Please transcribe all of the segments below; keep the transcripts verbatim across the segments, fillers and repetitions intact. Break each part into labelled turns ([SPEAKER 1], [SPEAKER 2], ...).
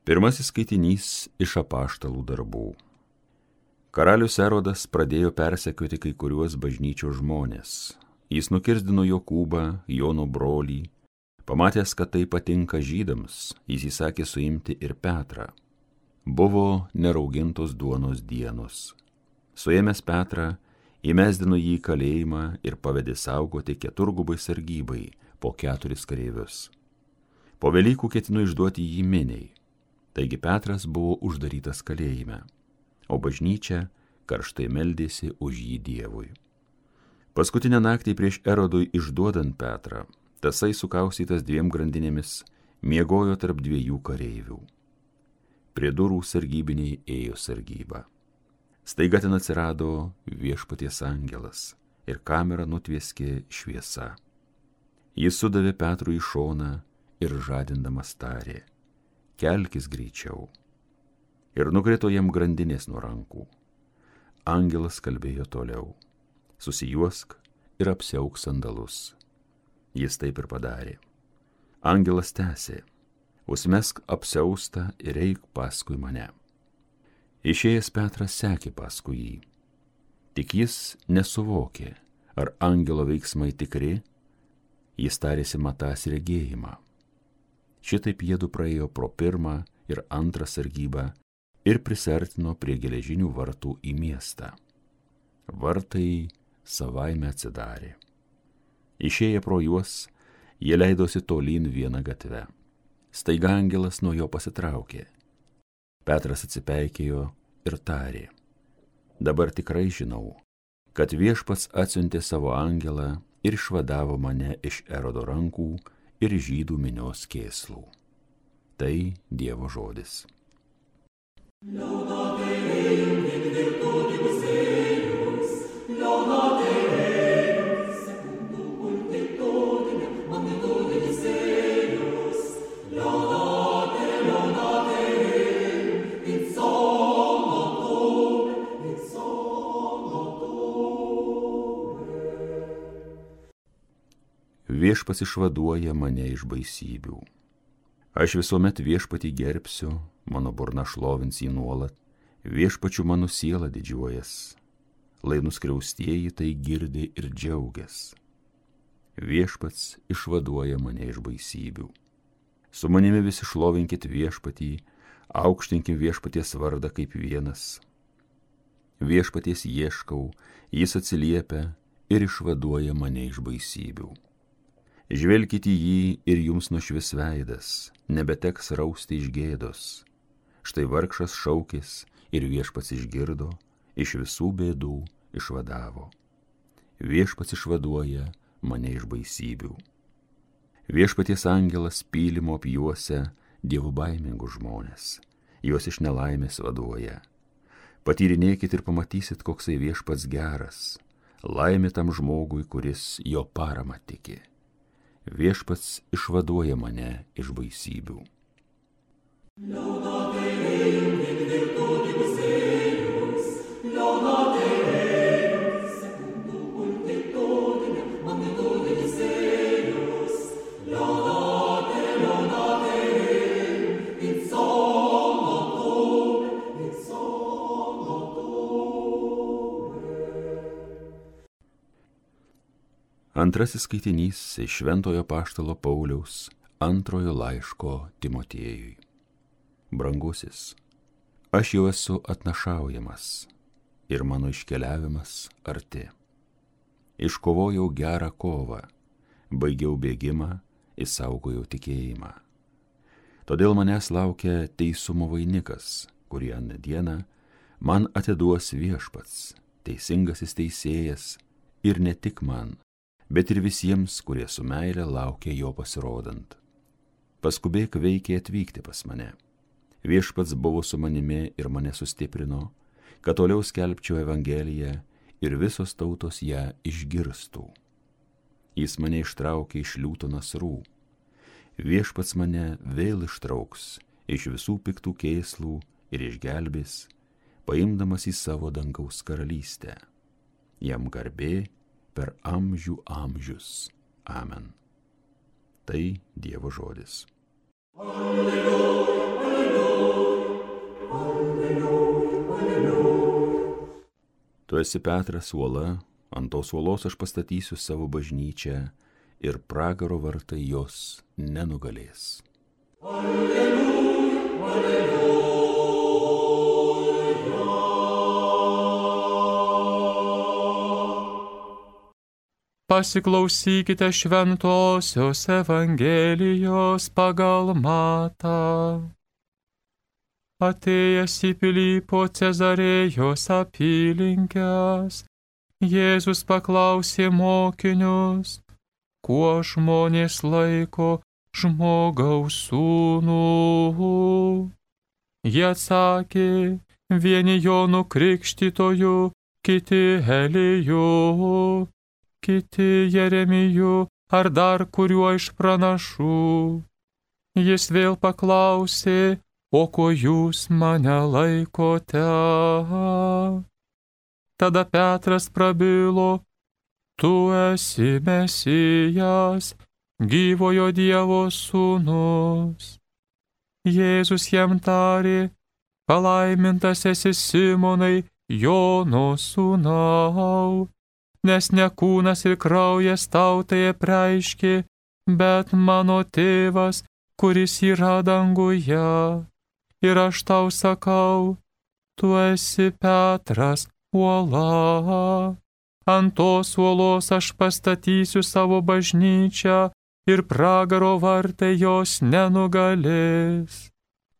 [SPEAKER 1] Pirmasis skaitinys iš apaštalų darbų. Karalius Erodas pradėjo persekioti kai kuriuos bažnyčios žmonės. Jis nukirzdino Jokūbą, Jono brolį. Pamatęs, kad tai patinka žydams, jis įsakė suimti ir Petrą. Buvo neraugintos duonos dienos. Suėmęs Petrą, įmesdino jį į kalėjimą ir pavedė saugoti keturgubai sargybai po keturis kareivius. Po Velykų ketino išduoti jį miniai. Taigi Petras buvo uždarytas kalėjime, o bažnyčia karštai meldėsi už jį Dievui. Paskutinę naktį prieš Erodui išduodant Petrą, tasai sukaustytas dviem grandinėmis miegojo tarp dviejų kareivių. Prie durų sargybiniai ėjo sargybą. Staiga ten atsirado Viešpaties angelas ir kamerą nutvieskė šviesa. Jis sudavė Petrui į šoną ir žadindamas tarė: kelkis greičiau. Ir nukrito jam grandinės nuo rankų. Angelas kalbėjo toliau: susijuosk ir apsiauk sandalus. Jis taip ir padarė. Angelas tęsė: užmesk apsiaustą ir eik paskui mane. Išėjęs Petras sekė paskui jį. Tik jis nesuvokė, ar angelo veiksmai tikri, jis tarėsi matąs regėjimą. Šitaip jiedu praėjo pro pirmą ir antrą sargybą ir prisartino prie geležinių vartų į miestą. Vartai savaime atsidarė. Išėję pro juos, jie leidosi tolyn vieną gatvę. Staiga angelas nuo jo pasitraukė. Petras atsipeikėjo ir tarė: dabar tikrai žinau, kad Viešpats atsiuntė savo angelą ir išvadavo mane iš Erodo rankų ir žydų minios kėslų. Tai Dievo žodis. Viešpats išvaduoja mane iš baisybių. Aš visuomet Viešpatį gerbsiu, mano burna šlovins jį nuolat, Viešpačiu mano siela didžiuojas, lai nuskriaustieji tai girdi ir džiaugias. Viešpats išvaduoja mane iš baisybių. Su manimi visi šlovinkit Viešpatį, aukštinkim Viešpaties vardą kaip vienas. Viešpaties ieškau, jis atsiliepia ir išvaduoja mane iš baisybių. Žvelkite į jį ir jums nušvis veidas, nebeteks rausti iš gėdos. Štai vargšas šaukės ir Viešpats išgirdo, iš visų bėdų išvadavo. Viešpats išvaduoja mane iš baisybių. Viešpaties angelas pylimo apjuosia dievų baimingus žmonės, juos iš nelaimės vaduoja. Patyrinėkit ir pamatysit, koksai Viešpats geras, laimė tam žmogui, kuris jo paramą tiki. Viešpats išvaduoja mane iš baisybių. Antrasis skaitinys iš Šventojo apaštalo Pauliaus antrojo laiško Timotiejui. Brangusis, aš jau esu atnašaujamas ir mano iškeliavimas arti. Iškovojau gerą kovą, baigiau bėgimą, išsaugojau tikėjimą. Todėl manęs laukia teisumo vainikas, kurį aną dieną man atiduos Viešpats, teisingasis teisėjas, ir ne tik man, bet ir visiems, kurie su meile laukia jo pasirodant. Paskubėk veikiai atvykti pas mane. Viešpats buvo su manimi ir mane sustiprino, kad toliau skelbčiau Evangeliją ir visos tautos ją išgirstų. Jis mane ištraukė iš liūto nasrų. Viešpats mane vėl ištrauks iš visų piktų kėslų ir išgelbės, paimdamas į savo dangaus karalystę. Jam garbė per amžių amžius. Amen. Tai Dievo žodis. Alleluja, alleluja. esi Petras uola, ant tos uolos aš pastatysiu savo bažnyčią ir pragaro vartai jos nenugalės. Alleluja, alleluja.
[SPEAKER 2] Pasiklausykite šventosios Evangelijos pagal Matą. Atėjęs į Pilypo Cezarėjos apylinkes, Jėzus paklausė mokinius, kuo žmonės laiko žmogaus sūnų. Jie atsakė, vieni Jonu Krikštytoju, kiti Eliju, kiti Jeremiju ar dar kuriuo iš pranašų. Jis vėl paklausė, o ko jūs mane laikote? Tada Petras prabilo, tu esi Mesijas, gyvojo Dievo sūnus. Jėzus jam tarė, palaimintas esi Simonai, Jono sūnau, nes ne kūnas ir kraujas tau tai apreiškė, bet mano tėvas, kuris yra danguje. Ir aš tau sakau, tu esi Petras uola. Ant tos uolos aš pastatysiu savo bažnyčią ir pragaro vartai jos nenugalės.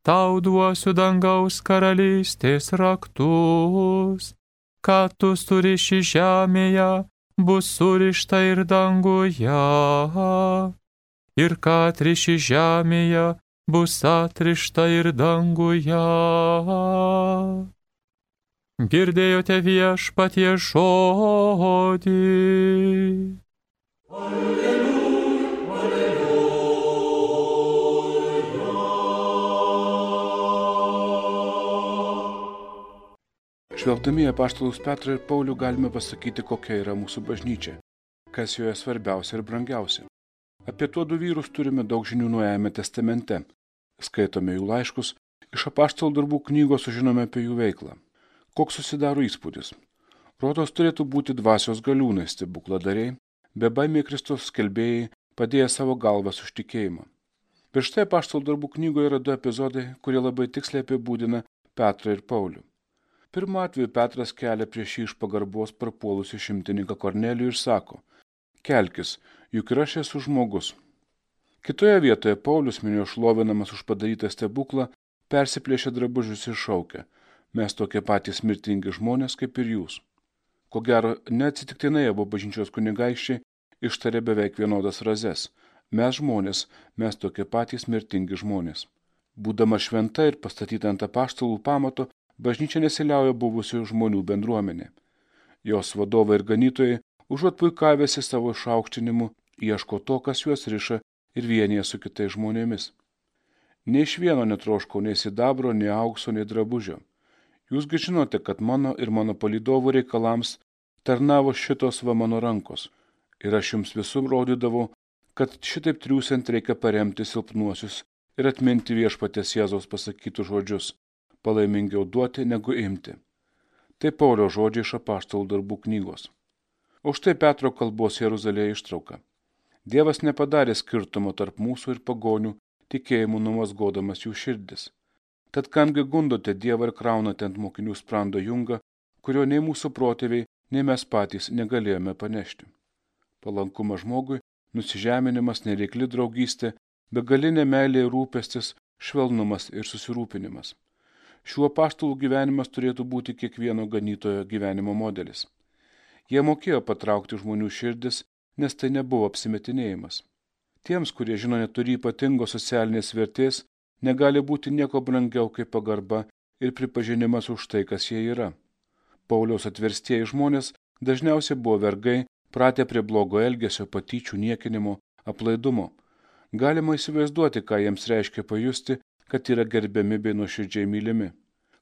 [SPEAKER 2] Tau duosiu dangaus karalystės raktus. Ką tu suriši žemėje, bus surišta ir danguje. Ir ką atriši žemėje, bus atrišta ir danguje. Girdėjote Viešpaties žodį. Alleluja, alleluja.
[SPEAKER 3] Žvelgdami į apaštalus Petrą ir Paulių galime pasakyti, kokia yra mūsų bažnyčia, kas joje svarbiausia ir brangiausia. Apie tuodu vyrus turime daug žinių Naujajame testamente. Skaitome jų laiškus, iš apaštalų darbų knygos sužinome apie jų veiklą. Koks susidaro įspūdis? Rodos turėtų būti dvasios galiūnai, stebukladariai, bebaimiai Kristaus skelbėjai, padėję savo galvas už tikėjimą. Bet štai apaštalų darbų knygoje yra du epizodai, kurie labai tiksliai apibūdina Petrą ir Paulių. Pirmu atveju Petras kelia prieš jį iš pagarbos prapuolusį šimtininką Kornelijų ir sako, kelkis, juk ir aš esu žmogus. Kitoje vietoje Paulius, minio šlovinamas už padarytą stebuklą, persiplėšia drabužius ir šaukia, mes tokie patys mirtingi žmonės kaip ir jūs. Ko gero, neatsitiktinai abu bažnyčios kunigaikščiai ištarė beveik vienodas frazes, mes žmonės, mes tokie patys mirtingi žmonės. Būdama šventa ir pastatyta ant apaštalų pamato, bažnyčia nesiliauja buvusių žmonių bendruomenė. Jos vadovai ir ganytojai, užuot puikavęsi savo išaukštinimu, ieško to, kas juos riša ir vienyje su kitais žmonėmis. Nei iš vieno netroškau nei sidabro, nei aukso, nei drabužio. Jūsgi žinote, kad mano ir mano palydovų reikalams tarnavo šitos va mano rankos. Ir aš jums visur rodydavau, kad šitaip triūsiant reikia paremti silpnuosius ir atminti Viešpaties Jėzaus pasakytus žodžius, palaimingiau duoti negu imti. Tai Paulio žodžiai iš apaštalų darbų knygos. O štai Petro kalbos Jeruzalėje ištrauka. Dievas nepadarė skirtumo tarp mūsų ir pagonių, tikėjimu numazgodamas jų širdis. Tad kamgi gundote Dievą ir kraunate ant mokinių sprando jungą, kurio nei mūsų protėviai, nei mes patys negalėjome panešti. Palankumas žmogui, nusižeminimas, nereikli draugystė, begalinė meilė ir rūpestis, švelnumas ir susirūpinimas. Šiuo apaštalų gyvenimas turėtų būti kiekvieno ganytojo gyvenimo modelis. Jie mokėjo patraukti žmonių širdis, nes tai nebuvo apsimetinėjimas. Tiems, kurie žino neturi ypatingos socialinės vertės, negali būti nieko brangiau kaip pagarba ir pripažinimas už tai, kas jie yra. Pauliaus atverstieji žmonės dažniausiai buvo vergai, pratę prie blogo elgesio, patyčių, niekinimo, aplaidumo. Galima įsivaizduoti, ką jiems reiškia pajusti, kad yra gerbiami bei nuoširdžiai mylimi.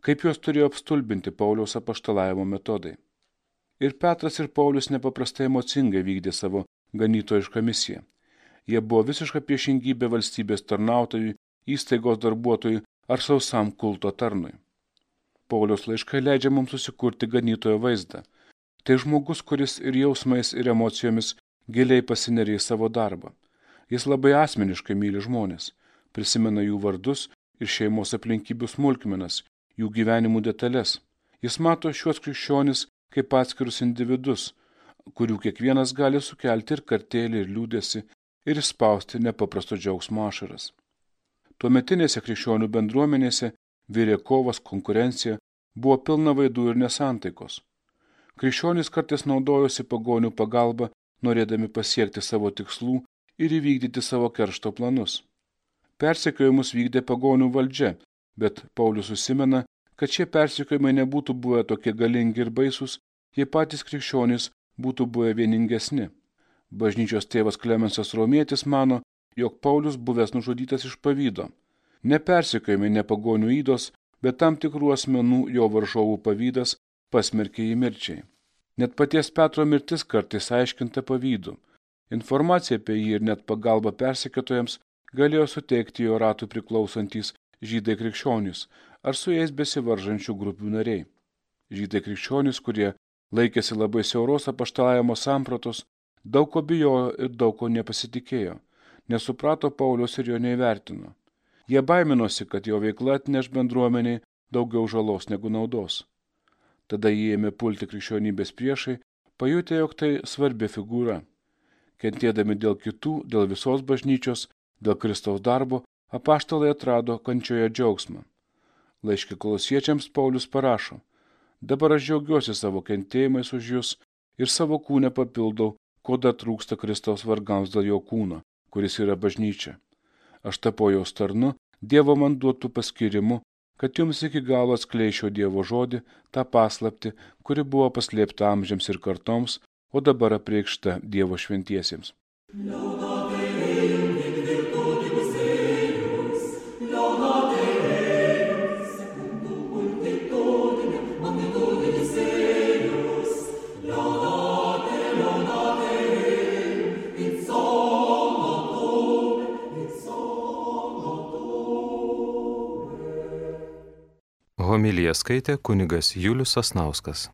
[SPEAKER 3] Kaip juos turėjo apstulbinti Pauliaus apaštalavimo metodai. Ir Petras ir Paulius nepaprastai emocingai vykdė savo ganytojišką misiją. Jie buvo visiška priešingybė valstybės tarnautojui, įstaigos darbuotojui ar sausam kulto tarnui. Pauliaus laiškai leidžia mums susikurti ganytojo vaizdą. Tai žmogus, kuris ir jausmais, ir emocijomis giliai pasineria į savo darbą. Jis labai asmeniškai myli žmonės, prisimena jų vardus ir šeimos aplinkybių smulkmenas, jų gyvenimų detalės. Jis mato šiuos krikščionis kaip atskirus individus, kurių kiekvienas gali sukelti ir kartėlį, ir liūdėsi, ir išspausti nepaprasto džiaugsmo ašaras. Tuometinėse krikščionių bendruomenėse virė kovas, konkurencija, buvo pilna vaidų ir nesantaikos. Krikščionys kartais naudojosi pagonių pagalba, norėdami pasiekti savo tikslų ir įvykdyti savo keršto planus. Persekiojimus vykdė pagonių valdžia, bet Paulius užsimena, kad šie persekiojimai nebūtų buvę tokie galingi ir baisūs, jei patys krikščionys būtų buvę vieningesni. Bažnyčios tėvas Klemensas Romietis mano, jog Paulius buvęs nužudytas iš pavydo. Ne persekiojimai, ne pagonių ydos, bet tam tikrų asmenų jo varžovų pavydas pasmerkė jį mirčiai. Net paties Petro mirtis kartais aiškinta pavydu. Informacija apie jį ir net pagalba persekiotojams galėjo suteikti jo ratui priklausantys žydai krikščionys ar su jais besivaržančių grupių nariai. Žydai krikščionys, kurie laikėsi labai siauros apaštalavimo sampratos, daug ko bijojo ir daug ko nepasitikėjo, nesuprato Pauliaus ir jo neįvertino. Jie baiminosi, kad jo veikla atneš bendruomeniai daugiau žalos negu naudos. Tada jie ėmė pulti krikščionybės priešai, pajutę, jog tai svarbi figūra. Kentėdami dėl kitų, dėl visos bažnyčios, dėl Kristaus darbo, apaštalai atrado kančioje džiaugsmą. Laiške Kolosiečiams Paulius parašo: dabar aš džiaugiuosi savo kentėjimais už jus ir savo kūne papildau, ko dar trūksta Kristaus vargams dėl jo kūno, kuris yra bažnyčia. Aš tapau jos tarnu, Dievo man duotų paskirimu, kad jums iki galo atskleičiau Dievo žodį, tą paslaptį, kuri buvo paslėpta amžiams ir kartoms, o dabar apreikšta Dievo šventiesiems.
[SPEAKER 2] Homiliją skaitė kunigas Julius Sasnauskas.